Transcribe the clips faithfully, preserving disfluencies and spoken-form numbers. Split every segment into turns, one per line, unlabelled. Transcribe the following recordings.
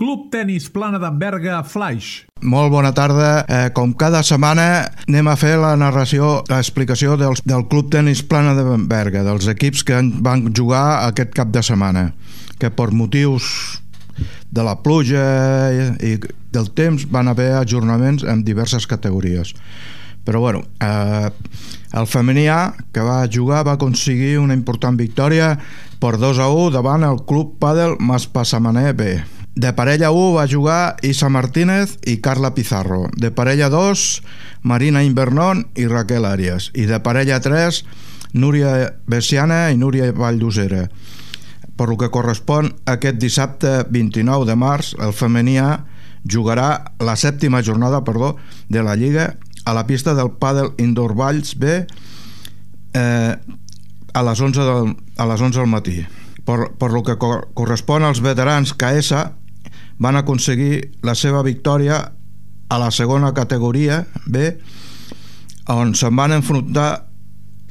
Club Tenis Plana d'en Berga Flaix.
Molt bona tarda. Eh, com cada setmana anem a fer la narració, l'explicació del, del Club Tenis Plana d'en Berga, dels equips que van jugar aquest cap de setmana, que per motius de la pluja i del temps van haver ajornaments en diverses categories. Però bueno, eh, el femení A, que va jugar, va aconseguir una important victòria per dos a u davant el Club Pàdel Maspasamaner B. De parella u va jugar Isa Martínez i Carla Pizarro. De parella dos, Marina Invernón i Raquel Arias. I de parella tres, Núria Bessiana i Núria Valldosera. Per lo que correspon aquest dissabte vint-i-nou de març, el femení A jugarà la sèptima jornada perdó, de la Lliga a la pista del Pàdel Indoor Valls B eh, a les onze del, a les onze del matí. Per, per lo que cor correspon als veterans K S, van aconseguir la seva victòria a la segona categoria B, on se'n van enfrontar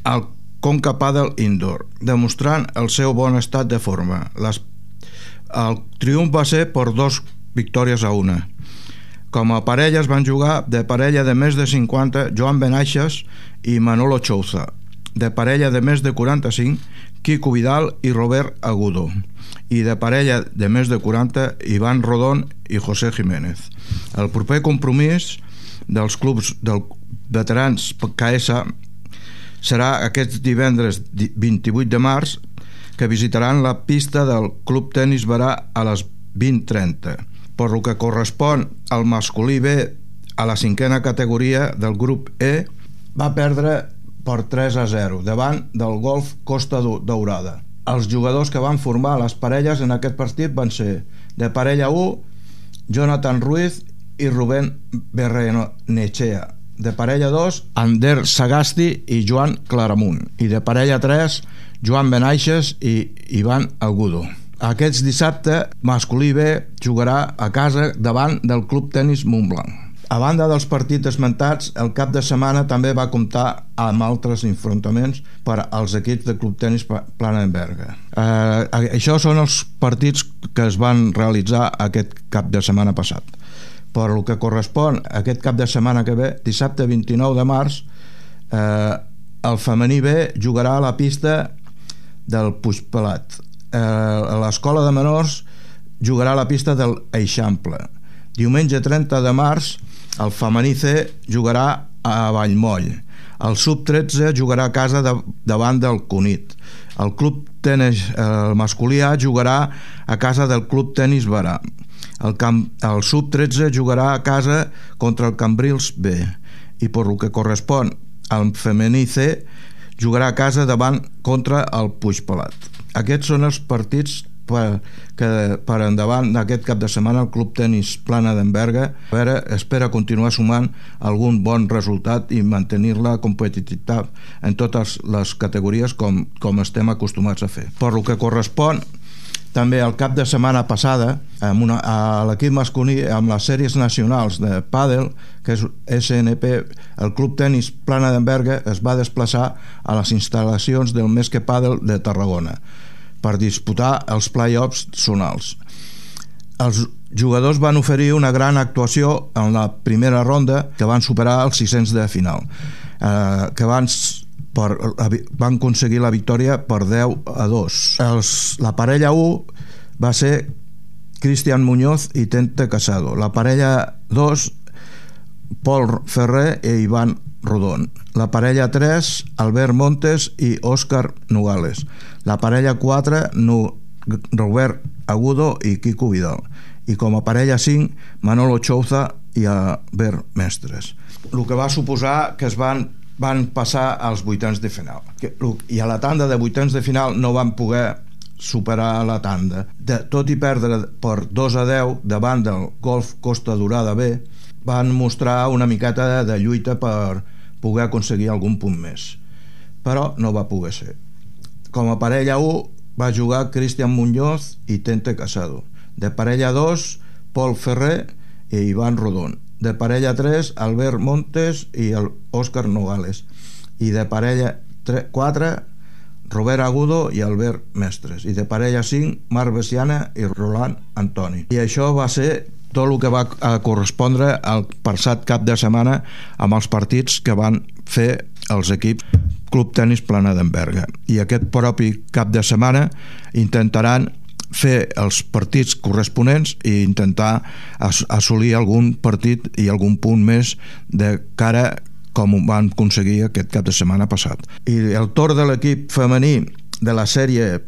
al Conca Pàdel Indoor, demostrant el seu bon estat de forma. Les, el triomf va ser per dos victòries a una. Com a parelles van jugar de parella de més de cinquanta Joan Benaixes i Manolo Chouza, de parella de més de quaranta-cinc Quico Vidal i Robert Agudo, i de parella de més de quaranta Ivan Rodón i José Jiménez. El proper compromís dels clubs dels veterans K S serà aquest divendres vint-i-vuit de març, que visitaran la pista del Club Tenis Berà a les vint trenta. Per lo que correspon al masculí B, a la cinquena categoria del grup E, va perdre per tres a zero davant del Golf Costa Daurada. Els jugadors que van formar les parelles en aquest partit van ser de parella u, Jonathan Ruiz i Rubén Berrenechea, de parella dos, Ander Sagasti i Joan Claramunt, i de parella tres, Joan Benaixes i Ivan Agudo. Aquest dissabte, masculí B jugarà a casa davant del Club Tenis Montblanc. A banda dels partits esmentats, el cap de setmana també va comptar amb altres enfrontaments per als equips de Club Tenis Plana d'en Berga. Eh, això són els partits que es van realitzar aquest cap de setmana passat. Per el que correspon a aquest cap de setmana que ve, dissabte vint-i-nou de març, eh, el femení B jugarà a la pista del Puigpelat. Eh, l'escola de menors jugarà a la pista del Eixample. Diumenge trenta de març, el femení C jugarà a Vallmoll. El sub tretze jugarà a casa de, davant del Cunit. El club tenis el masculí A jugarà a casa del Club Tenis Berà. El, camp, el sub tretze jugarà a casa contra el Cambrils B. I per lo que correspon al femení C jugarà a casa davant contra el Puigpelat. Aquests són els partits per, que per endavant d'aquest cap de setmana el Club Tenis Plana d'en Berga a veure, espera continuar sumant algun bon resultat i mantenir-la competitivitat en totes les categories com, com estem acostumats a fer. Per lo que correspon també el cap de setmana passada amb una, a l'equip masculí amb les sèries nacionals de pàdel, que és S N P, el Club Tenis Plana d'en Berga es va desplaçar a les instal·lacions del Més que Pàdel de Tarragona per disputar els play-offs zonals. Els jugadors van oferir una gran actuació en la primera ronda, que van superar els sis-cents de final, eh, que van, per, van aconseguir la victòria per deu a dos. Els, la parella u va ser Cristian Muñoz i Tente Casado. La parella dos, Pol Ferrer i Ivan Rodón. La parella tres, Albert Montes i Òscar Nogales. La parella quatre, no, Robert Agudo i Quico Vidal. I com a parella cinc, Manolo Chouza i Albert Mestres. El que va suposar que es van, van passar als vuitens de final. I a la tanda de vuitens de final no van poder superar la tanda. De, tot i perdre per dos a deu davant del Golf Costa Daurada B, van mostrar una miqueta de lluita per poder aconseguir algun punt més, però no va poder ser. Com a parella u va jugar Cristian Muñoz i Tente Casado. De parella dos, Pol Ferrer i Ivan Rodón. De parella tres, Albert Montes i el Òscar Nogales. I de parella quatre, Robert Agudo i Albert Mestres, i de parella cinc, Marc Bessiana i Roland Antoni. I això va ser tot el que va correspondre al passat cap de setmana amb els partits que van fer els equips Club Tenis Plana d'en Berga. I aquest propi cap de setmana intentaran fer els partits corresponents i intentar assolir algun partit i algun punt més de cara com ho van aconseguir aquest cap de setmana passat. I el torn de l'equip femení de la sèrie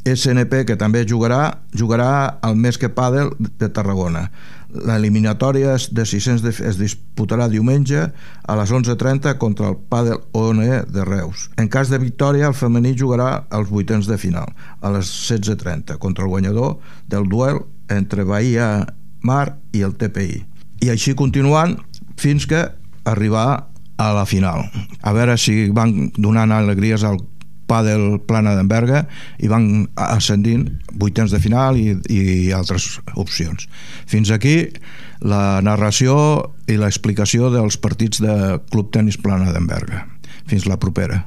S N P, que també jugarà, jugarà al Mesque Pàdel de Tarragona. L'eliminatòria de sis-cents es disputarà diumenge a les onze trenta contra el Pàdel O N E de Reus. En cas de victòria, el femení jugarà als vuitens de final, a les setze trenta, contra el guanyador del duel entre Bahia Mar i el T P I. I així continuant fins que arribar a la final. A veure si van donant alegries al Pàdel Plana d'en Berga i van ascendint vuitens de final i, i altres opcions. Fins aquí la narració i l'explicació dels partits de Club Tenis Plana d'en Berga. Fins la propera.